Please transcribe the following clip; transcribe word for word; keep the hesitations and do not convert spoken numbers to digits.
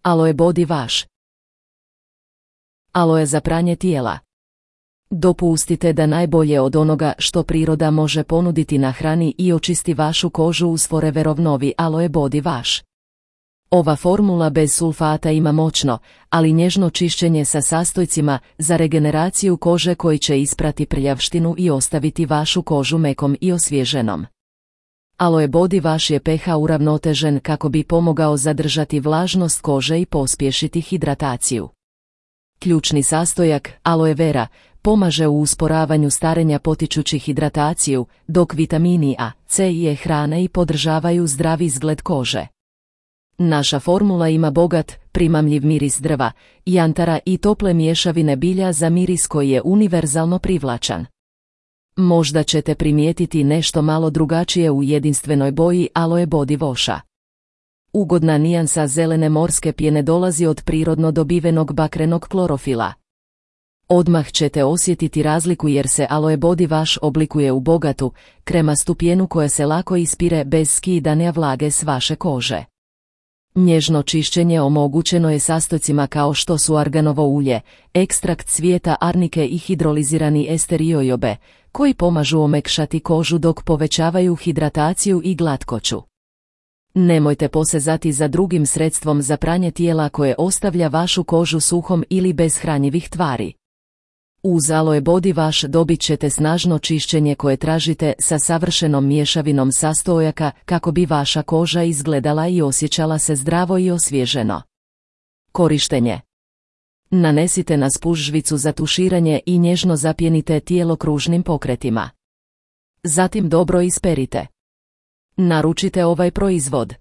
Aloe Body Wash. Aloe za pranje tijela. Dopustite da najbolje od onoga što priroda može ponuditi na hrani i očisti vašu kožu uz Foreverov novi Aloe Body Wash. Ova formula bez sulfata ima moćno, ali nježno čišćenje sa sastojcima za regeneraciju kože koji će isprati prljavštinu i ostaviti vašu kožu mekom i osvježenom. Aloe Body Wash je pH uravnotežen kako bi pomogao zadržati vlažnost kože i pospješiti hidrataciju. Ključni sastojak, aloe vera, pomaže u usporavanju starenja potičući hidrataciju, dok vitamini A, C i E hrane i podržavaju zdravi izgled kože. Naša formula ima bogat, primamljiv miris drva, jantara i tople mješavine bilja za miris koji je univerzalno privlačan. Možda ćete primijetiti nešto malo drugačije u jedinstvenoj boji Aloe Body Washa. Ugodna nijansa zelene morske pjene dolazi od prirodno dobivenog bakrenog klorofila. Odmah ćete osjetiti razliku jer se Aloe Body Wash oblikuje u bogatu, kremastu pjenu koja se lako ispire bez skidanja vlage s vaše kože. Nježno čišćenje omogućeno je sastojcima kao što su arganovo ulje, ekstrakt cvijeta arnike i hidrolizirani ester jojobe, koji pomažu omekšati kožu dok povećavaju hidrataciju i glatkoću. Nemojte posezati za drugim sredstvom za pranje tijela koje ostavlja vašu kožu suhom ili bez hranjivih tvari. Uz Aloe Body Wash dobit ćete snažno čišćenje koje tražite sa savršenom mješavinom sastojaka kako bi vaša koža izgledala i osjećala se zdravo i osvježeno. Korištenje. Nanesite na spužvicu za tuširanje i nježno zapjenite tijelo kružnim pokretima. Zatim dobro isperite. Naručite ovaj proizvod.